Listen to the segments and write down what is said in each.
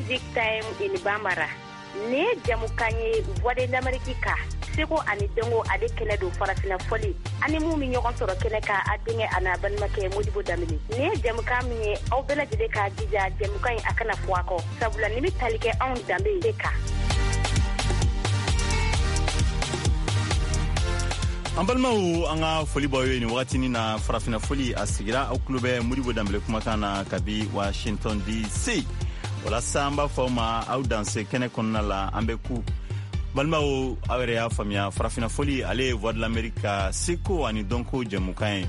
Music Time in Bambara. Nin ye jamukan ye Voix de l'Amérique ka seko ani dɔnko ale kɛnɛ don farafina fɔli ani mun bɛ ɲɔgɔn sɔrɔ kɛnɛ kan a denkɛ a n'a balimakɛ Modibo Danbele. Nin ye jamukan min ye aw bɛɛ lajɛlen k'a jija jamukan in a kana fɔ a kɔ sabula nin bɛ tali kɛ anw danbe de kan. An balimaw, an ka foli b'aw ye nin wagatinin na. Farafina foli a sigira, aw tulo bɛ Modibo Danbele kumakan na kabi Washington DC. Walasa an b'a fɔ aw ma aw danse kɛnɛ kɔnɔna la. An bɛ ku balimaw, aw yɛrɛ y'a faamuya, farafina foli ale ye Voix de l'Amérique ka seko ani dɔnko jɛmukan ye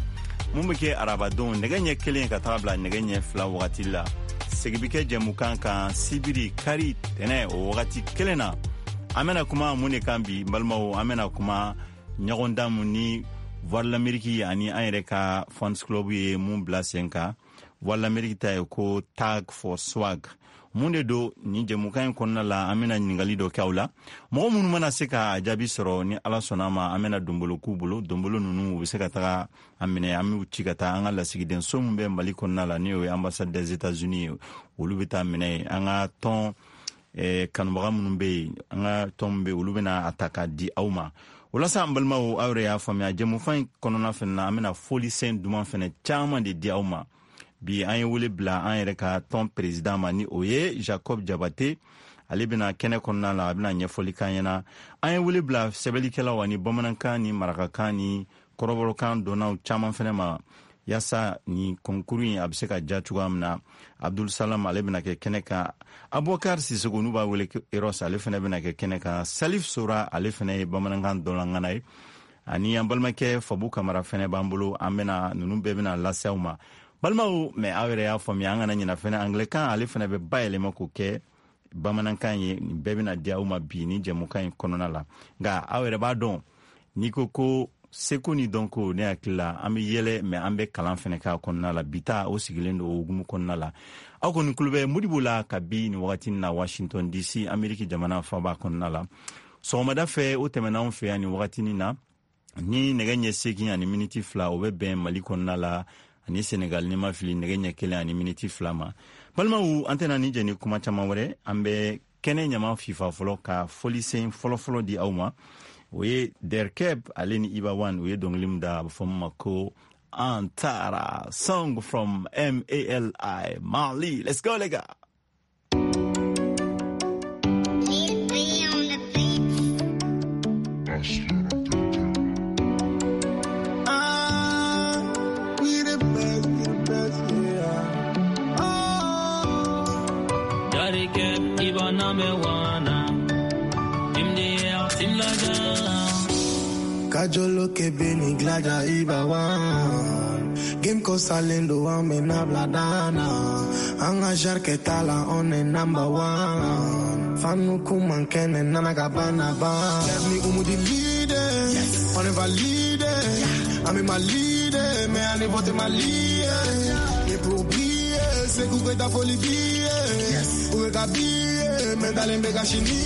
mun bɛ kɛ arabadon nɛgɛ ɲɛ 1 ka taga bila nɛgɛ ɲɛ 2 wagati la. Segi bɛ kɛ jɛmukan kan sibiri, kari, tɛnɛ o wagati kelen na. An bɛna kuma mun de kan bi, balimaw? An bɛna kuma ɲɔgɔndan mun ni Voix de l'Amérique ani an yɛrɛ ka fans club ye mun bila sen kan. Voix de l'Amérique ta ye ko Tag for Swag. Mun de don? Nin jɛmukan in kɔnɔna la, an bɛna ɲininkali dɔ kɛ aw la. Mɔgɔ minnu mana se ka jaabi sɔrɔ, ni Ala sɔnna ma, an bɛna donbolo k'u bolo. Donbolo ninnu, u bɛ se ka taga a minɛ, an b'u ci ka taa an ka lasigidenso min bɛ Mali kɔnɔna la, ni o ye ambassade des États-Unis ye. Olu bɛ taa minɛ an ka tɔn kanubaga minnu bɛ yen, an ka tɔn min bɛ yen, olu bɛna a ta k'a di aw ma. O la sa, an balimaw, aw yɛrɛ y'a faamuya, jɛmukan in kɔnɔna fɛnɛ na, an bɛna folisen duman fɛnɛ caman de di aw ma bi. An ye wele bila an yɛrɛ ka tɔn président ma, ni o ye Jacob Jabate. Ale bɛna kɛnɛ kɔnɔna la, a bɛna ɲɛfɔli k'an ɲɛna. An ye wele bila sɛbɛnnikɛlaw ani bamanankan ni marakakan ni kɔrɔbɔrɔkan dɔnnaw caman fɛnɛ ma, yaasa ni concours in a bɛ se ka ja cogoya min na. Abdul Salam, ale bɛna kɛ kɛnɛ kan. Abubakar Sisoko, n'u b'a wele Eros, ale fɛnɛ bɛna kɛ kɛnɛ kan. Salif Sora, ale fɛnɛ ye bamanankan dɔnlangana ye, ani an balimakɛ Fabu Kamara fɛnɛ b'an bolo. An bɛna ninnu bɛɛ bɛna lase aw ma, balimaw. Mɛ aw yɛrɛ y'a faamuya, an kana ɲina fɛnɛ, anglɛkan ale fɛnɛ bɛ bayɛlɛma k'o kɛ bamanankan ye. Nin bɛɛ bɛna di aw ma bi ni jɛmukan in kɔnɔna la. Nka aw yɛrɛ b'a dɔn, n'i ko ko seko ni dɔnko, ne hakili la an bɛ yɛlɛ, mɛ an bɛ kalan fɛnɛ k'a kɔnɔna la. Bi ta o sigilen don o hukumu kɔnɔna la. Aw kɔni tulo bɛ Modibo la kabi nin wagati na Washington DC, Ameriki jamana faba kɔnɔna la. Sɔgɔmada fɛ o tɛmɛna anw fɛ yan nin wagatinin na ni nɛgɛ ɲɛ 8 ani miniti 2, o bɛ bɛn Mali kɔnɔna la ani Senegal, ni ma fili, nɛgɛ ɲɛ 1 ani miniti 2 ma. Balimaw, an tɛna ni jɛ ni kuma caman wɛrɛ. An bɛ kɛnɛ ɲama fifa fɔlɔ ka folisen fɔlɔfɔlɔ di aw ma. O ye Derkeb ale ni Iba One, u ye dɔnkili min da, a bɛ fɔ min ma ko Antara, song from Mali, Mali. Let's go, les gars. Ah, we the best, we the best, yeah. Oh. Darikep Iba number one. MDR Team Laga. Kajolo kebe ni glaja Iba One. Game ko salendo ame na bladana. Anga jarke tala on est number one. Fanu kuman kene nana gabana ba. Let me umu di leader. Yes. On est validé. I'm in my leader. Mais on est voté ma lié. Et pour briller, c'est qu'on ta folie billet. Yes. Ou ka billet, mais dans les méga chini.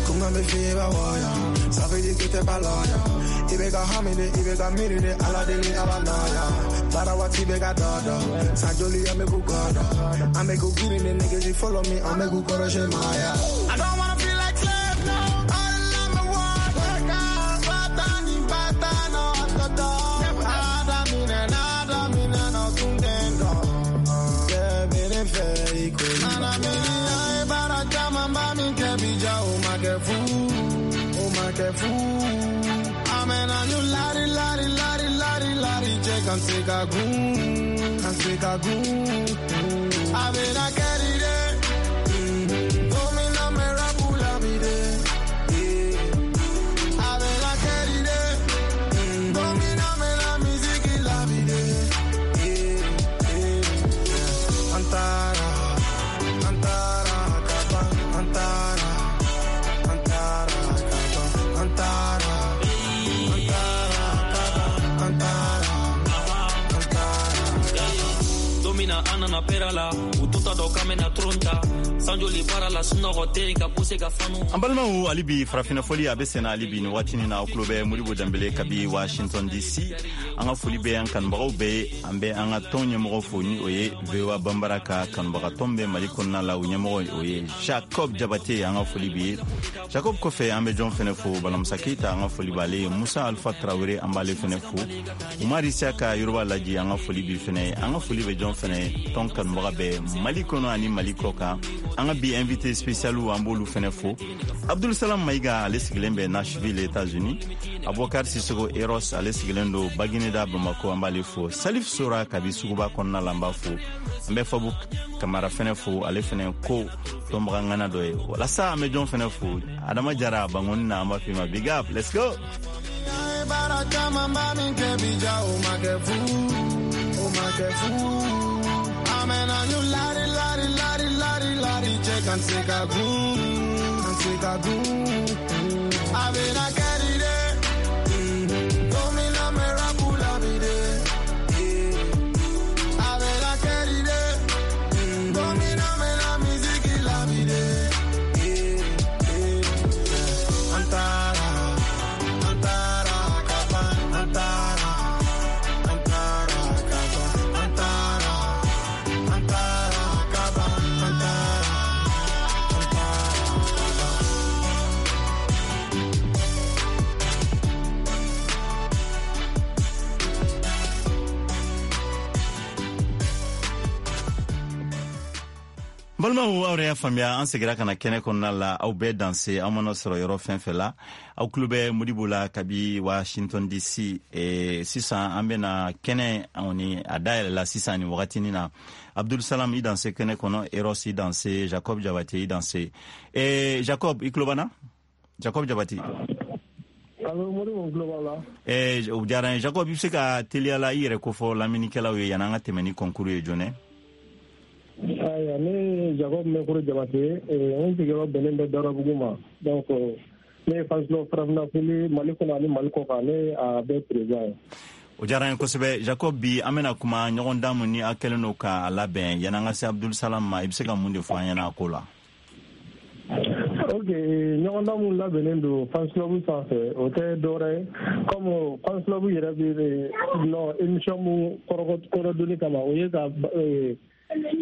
Kunga me fi ba waya. Ça veut dire que t'es pas loyal. I bɛ ka hami de, i bɛ ka miiri de, Ala deli Ala nɔya. Baara waati bɛ ka dɔ dɔ. Sajoli an bɛ k'u kɔ dɔn. An bɛ k'u girin de niggas, you follow me, an bɛ k'u kɔrɔsi maaya. I don't wanna feel like slave, no. All I'm a worker. Patani, patano, toto. Adamine, adamine, no tungendo. Yeah, bene fɛ i ko. Nana miri an ye baara caman ba min kɛ bi ja o ma kɛ fu. O ma kɛ fu. Amena ñu lari lari lari lari lari cɛ kan se ka gun kan se ka gun. A bɛna kɛri de. Domina me rapu la vie. A bɛna kɛri de. Domina me la musique la vie. Antara, Antara, Kaba, Antara, Antara, Kaba, Antara, Antara, Kaba, Antara, Antara. Domina anana perala ututa do kamena tronta sanjoli bara la sunɔgɔ tɛ ka puse ka fanu. An balimaw, hali bi farafinna fɔli a bɛ senna hali bi nin waatinin na. Aw tulo bɛ Modibo Danbele kabi Washington DC. An ka foli bɛ an kanubagaw bɛɛ ye. An bɛ an ka tɔn ɲɛmɔgɔ fo, ni o ye VOA Banbara ka kanubaga tɔn bɛ Mali kɔnɔna la, o ɲɛmɔgɔ, o ye Jacob Jabate. An ka foli bi ye Jacob. Kɔfɛ, an bɛ jɔn fɛnɛ fo? Balamusa Keyita, an ka foli b'ale ye. Musa Alfa Tarawele, an b'ale fɛnɛ fo. Umar Isiyaka Yoroba Laji, an ka foli bi fɛnɛ ye. An ka foli bɛ jɔn fɛnɛ ye? Tɔn kanubaga bɛɛ Mali kɔnɔ ani Mali kɔ kan. An ka bi invité spécial, an b'olu fɛnɛ fo. Abdul Salam Mayiga, ale sigilen bɛ Nashville, États-Unis. Abubakar Sisogo Eros, ale sigilen don Bagineda, Bamako, an b'ale fo. Salif Sora kabi suguba kɔnɔna la, an b'a fo. An bɛ Fabu Kamara fɛnɛ fo, ale fɛnɛ ko tɔnbaga ŋana dɔ ye. Walasa an bɛ jɔn fɛnɛ fo? Adama Jara Bangoni na, an b'a f'i ma big up, let's go. Baara caman b'a min kɛ bi ja, o ma kɛ fu, o ma kɛ fu. An bɛna ɲu lari lari lari lari lari cɛ kan se ka gun, kan se ka gun. A bɛna kɛ di de, don min na n bɛ rap la bi de. A bɛna kɛ di de, don min na n bɛna musique la bi de. An taara, an taara ka ban, an taara, an taara ka ban, an taara, an taara ka ban, an taara, an taara ka ban. Balimaw, aw yɛrɛ y'a faamuya, an segira ka na kɛnɛ kɔnɔna la. Aw bɛɛ danse, aw mana sɔrɔ yɔrɔ fɛn fɛn la, aw tulo bɛ Modibo la kabi Washington DC. Sisan an bɛna kɛnɛ ni a dayɛlɛla sisan nin wagatinin na. Abdul Salam, i danse kɛnɛ kɔnɔ. Eros, i danse. Jacob Jabate, i danse. Jacob, i tulo b'an na? Jacob Jabate. Allo Modibo, n tulo b'aw la. O diyara n ye. Jacob, i bɛ se ka teliya la i yɛrɛ kofɔ lamɛnnikɛlaw ye yan'an ka tɛmɛ ni concours ye joona? Ayiwa, ne ye Jacob Mɛkoro Jabate, n sigiyɔrɔ bɛnnen bɛ Dawudabugu ma. Donc ne ye fans club Farafinna Foli Mali kɔnɔ ani Mali kɔ kan, ne ye a bɛɛ président ye. O diyara n ye kosɛbɛ, Jacob. Bi an bɛna kuma ɲɔgɔn dan mun ni a kɛlen don k'a labɛn. Yan'an ka se Abdul Salam ma, i bɛ se ka mun de fɔ an ɲɛna a ko la? Ok, ɲɔgɔndan mun labɛnnen don fans club sanfɛ, o tɛ dɔwɛrɛ ye, comme fans club yɛrɛ bɛ nɔ émission mun kɔrɔdonni kama, o ye ka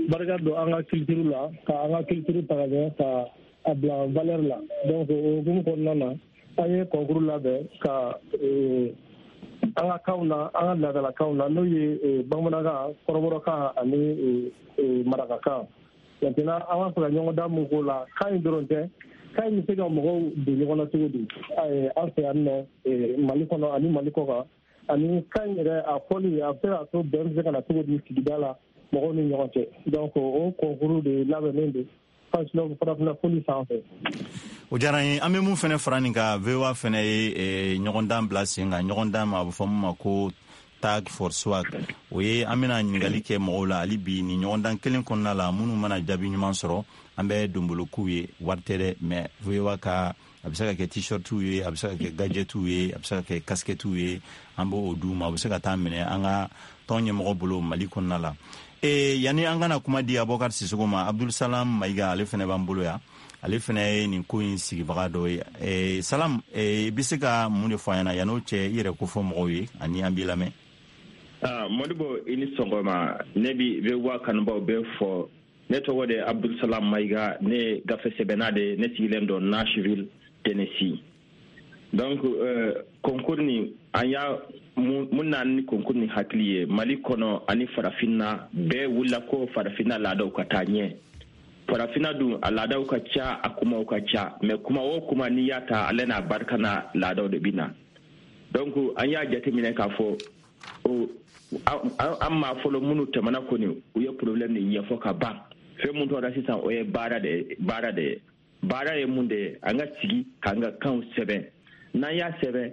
barika don an ka culture la, ka an ka culture ta ka ɲɛ, ka a bila valeur la. Donc o hukumu kɔnɔna na, an ye concours labɛn ka an ka kanw na, an ka laadalakanw na, n'o ye bamanankan, kɔrɔbɔrɔkan ani marakakan. Maintenant, an b'a fɛ ka ɲɔgɔndan mun k'o la, kan in dɔrɔn tɛ, kan in bɛ se ka mɔgɔw don ɲɔgɔn na cogo di an fɛ yan nɔ Mali kɔnɔ ani Mali kɔ kan, ani kan in yɛrɛ a fɔli, a bɛ se k'a to bɛn bɛ se ka na cogo di sigida la, mɔgɔw ni ɲɔgɔn cɛ. Donc o concours de labɛnnen don Farafinna Foli sanfɛ. O diyara n ye. An bɛ mun fɛnɛ fara nin kan, VOA fɛnɛ ye ɲɔgɔndan bila sen kan, ɲɔgɔndan ma a bɛ fɔ mun ma ko Tag for Swag. O ye an bɛna ɲininkali kɛ mɔgɔw la hali bi nin ɲɔgɔndan kelen kɔnɔna la. Minnu mana jaabi ɲuman sɔrɔ, an bɛ donbolo k'u ye. Wari tɛ dɛ, mais VOA ka, a bɛ se ka kɛ t-shirtiw ye, a bɛ se ka kɛ gadgetiw ye, a bɛ se ka kɛ casquettew ye, an b'o d'u ma. U bɛ se ka taa minɛ an ka tɔn ɲɛmɔgɔ bolo Mali kɔnɔna la. Yanni an kana kuma di Abubakar Sisogo ma, Abdul Salam Mayiga, ale fɛnɛ b'an bolo yan, ale fɛnɛ ye nin ko in sigibaga dɔ ye. Salam, i bɛ se ka mun de fɔ an ɲɛna? Yan'o cɛ, i yɛrɛ ko fɔ mɔgɔw ye ani an b'i lamɛn. Ah, Modibo, i ni sɔgɔma. Ne bi VOA kanubaw bɛɛ fɔ. Ne tɔgɔ de Abdul Salam Mayiga, ne ye gafe sɛbɛnna de, ne sigilen don Nashville, Tennessee. Donc concours ni an y'a mun na ni concours ni hakili ye, Mali kɔnɔ ani farafinna bɛɛ wulila ko farafinna laadaw ka taa ɲɛ. Farafinna dun, a laadaw ka ca, a kumaw ka ca, mais kuma o kuma n'i y'a ta, ale n'a barika n'a laadaw de bɛ na. Donc an y'a jateminɛ k'a fɔ o an maa fɔlɔ minnu tɛmɛna kɔni, u ye problème nin ɲɛfɔ ka ban. Fɛn mun tora sisan, o ye baara de ye. Baara de ye, baara ye mun de ye? An ka sigi k'an ka kanw sɛbɛn. N'an y'a sɛbɛn,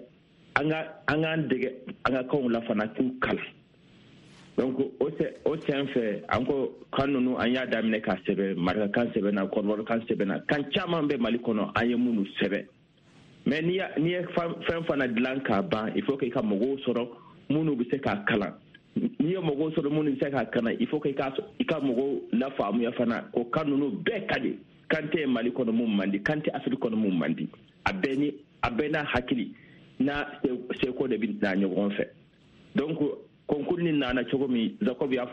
an ka an k'an dege an ka kanw la fana, k'u kalan. Donc o sen fɛ, an ko kan ninnu, an y'a daminɛ k'a sɛbɛn. Marakakan sɛbɛnna, kɔrɔbɔrɔkan sɛbɛnna, kan caman bɛ Mali kɔnɔ, an ye minnu sɛbɛn. Mais n'i ye fɛn fana dilan k'a ban, il faut que i ka mɔgɔw sɔrɔ minnu bɛ se k'a kalan. N'i ye mɔgɔw sɔrɔ minnu bɛ se ka kana, il faut que i ka mɔgɔw lafaamuya fana ko kan ninnu bɛɛ ka di. Kan tɛ Mali kɔnɔ mun man di, kan tɛ Afiriki kɔnɔ mun man di. A bɛɛ ni a bɛɛ n'a hakili n'a seko de bɛ na ɲɔgɔn fɛ. Donc concours ni nana cogo min, Jacob y'a fɔ.